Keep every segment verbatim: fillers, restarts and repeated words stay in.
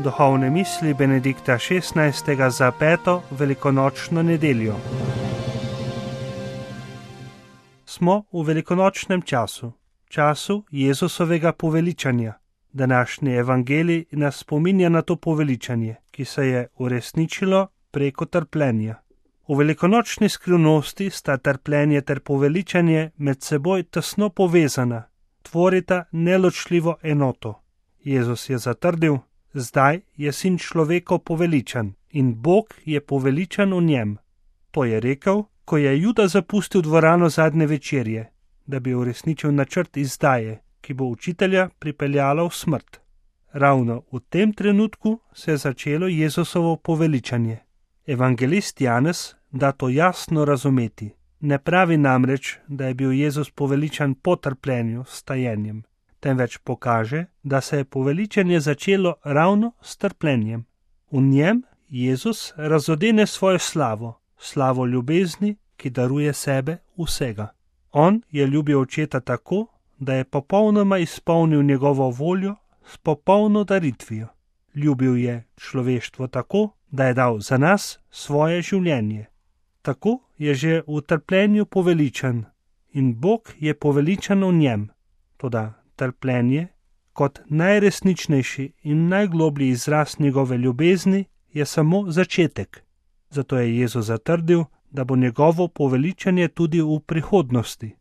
duhovne misli Benedikta šestnajstega za peto velikonočno nedeljo. Smo v velikonočnem času, času Jezusovega poveličanja. Današnji evangelij nas spominja na to poveličanje, ki se je uresničilo preko trpljenja. V velikonočni skrivnosti sta trpljenje ter poveličanje med seboj tesno povezana, tvorita neločljivo enoto. Jezus je zatrdil, zdaj je sin človekov poveličan in Bog je poveličan v njem. To je rekel, ko je Juda zapustil dvorano zadnje večerje, da bi uresničil načrt izdaje, ki bo učitelja pripeljala v smrt. Ravno v tem trenutku se je začelo Jezusovo poveličanje. Evangelist Janez da to jasno razumeti. Ne pravi namreč, da je bil Jezus poveličan po trpljenju s tajenjem, temveč pokaže, da se je poveličanje začelo ravno s trpljenjem. V njem Jezus razodene svojo slavo, slavo ljubezni, ki daruje sebe vsega. On je ljubil očeta tako, da je popolnoma izpolnil njegovo voljo s popolno daritvijo. Ljubil je človeštvo tako, da je dal za nas svoje življenje. Tako je že v trpljenju poveličan in Bog je poveličan v njem. Toda trpljenje, kot najresničnejši in najgloblji izraz njegove ljubezni, je samo začetek. Zato je Jezus zatrdil, da bo njegovo poveličanje tudi v prihodnosti.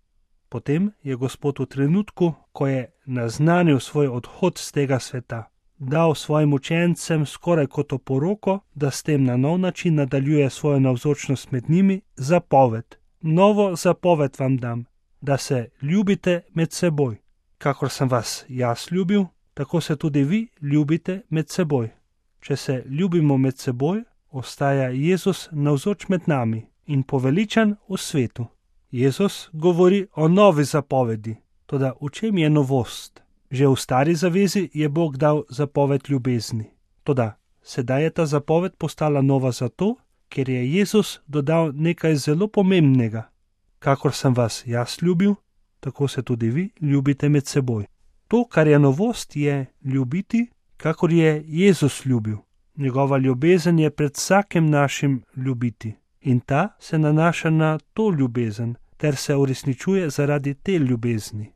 Potem je Gospod v trenutku, ko je naznanil svoj odhod z tega sveta, dal svojim učencem skoraj kot oporoko, da s tem na nov način nadaljuje svojo navzočnost med njimi, zapoved. Novo zapoved vam dam, da se ljubite med seboj. Kakor sem vas jaz ljubil, tako se tudi vi ljubite med seboj. Če se ljubimo med seboj, ostaja Jezus navzoč med nami in poveličan v svetu. Jezus govori o novi zapovedi, toda v čem je novost? Že v stari zavezi je Bog dal zapoved ljubezni. Toda sedaj je ta zapoved postala nova zato, ker je Jezus dodal nekaj zelo pomembnega. Kakor sem vas jaz ljubil, tako se tudi vi ljubite med seboj. To, kar je novost, je ljubiti, kakor je Jezus ljubil. Njegova ljubezen je pred vsakim našim ljubiti. In ta se nanaša na to ljubezen, ter se uresničuje zaradi te ljubezni.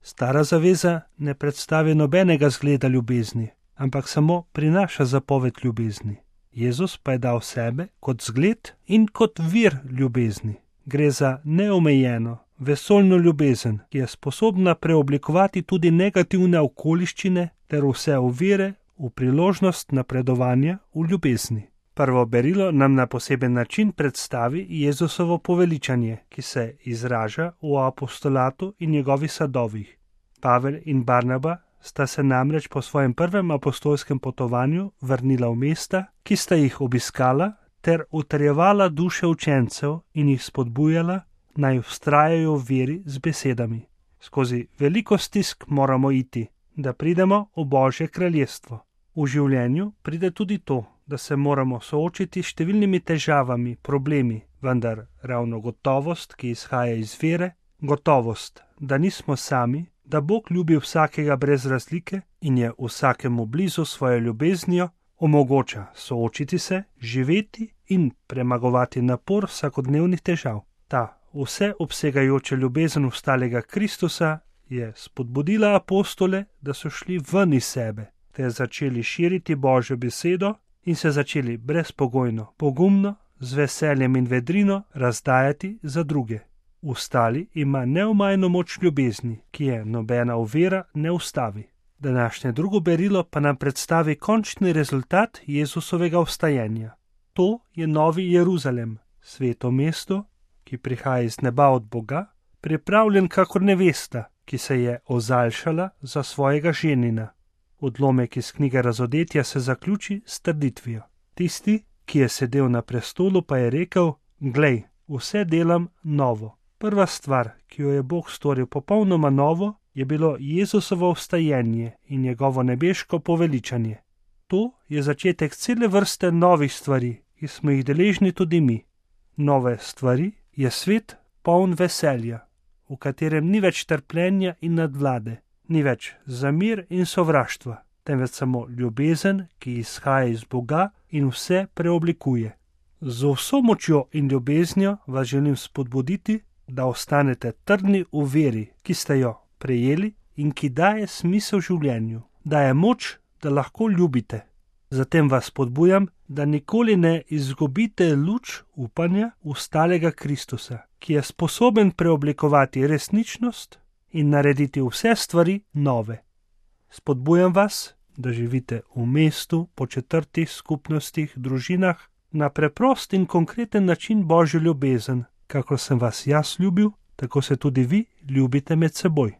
Stara zaveza ne predstavi nobenega zgleda ljubezni, ampak samo prinaša zapoved ljubezni. Jezus pa je dal sebe kot zgled in kot vir ljubezni. Gre za neomejeno, vesoljno ljubezen, ki je sposobna preoblikovati tudi negativne okoliščine ter vse ovire v priložnost napredovanja v ljubezni. Prvo berilo nam na poseben način predstavi Jezusovo poveličanje, ki se izraža v apostolatu in njegovih sadovih. Pavel in Barnaba sta se namreč po svojem prvem apostolskem potovanju vrnila v mesta, ki sta jih obiskala, ter utrjevala duše učencev in jih spodbujala, naj vztrajajo v veri z besedami. Skozi veliko stisk moramo iti, da pridemo v Božje kraljestvo. V življenju pride tudi to, da se moramo soočiti s številnimi težavami, problemi, vendar ravno gotovost, ki izhaja iz vere, gotovost, da nismo sami, da Bog ljubi vsakega brez razlike in je vsakemu blizu svojo ljubeznijo, omogoča soočiti se, živeti in premagovati napor vsakodnevnih težav. Ta vseobsegajoča ljubezen vstalega Kristusa je spodbudila apostole, da so šli ven iz sebe, ter začeli širiti Božjo besedo in se začeli brezpogojno, pogumno, z veseljem in vedrino razdajati za druge. Vstali ima neomajno moč ljubezni, ki je nobena ovira ne ustavi. Današnje drugo berilo pa nam predstavi končni rezultat Jezusovega vstajenja. To je Novi Jeruzalem, sveto mesto, ki prihaja iz neba od Boga, pripravljen kakor nevesta, ki se je ozaljšala za svojega ženina. Odlomek iz knjige Razodetja se zaključi s trditvijo. Tisti, ki je sedel na prestolu, pa je rekel: Glej, vse delam novo. Prva stvar, ki jo je Bog storil popolnoma novo, je bilo Jezusovo vstajenje in njegovo nebeško poveličanje. To je začetek cele vrste novih stvari, ki smo jih deležni tudi mi. Nove stvari je svet poln veselja, v katerem ni več trpljenja in nadvlade, ni več zamir in sovraštva, temveč samo ljubezen, ki izhaja iz Boga in vse preoblikuje. Z vso močjo in ljubeznijo vas želim spodbuditi, da ostanete trdni v veri, ki ste jo prejeli in ki daje smisel življenju, daje moč, da lahko ljubite. Zatem vas spodbujam, da nikoli ne izgubite luč upanja v stalega Kristusa, ki je sposoben preoblikovati resničnost in narediti vse stvari nove. Spodbujam vas, da živite v mestu, po četrtih, skupnostih, družinah, na preprost in konkreten način Božjo ljubezen. Kako sem vas jaz ljubil, tako se tudi vi ljubite med seboj.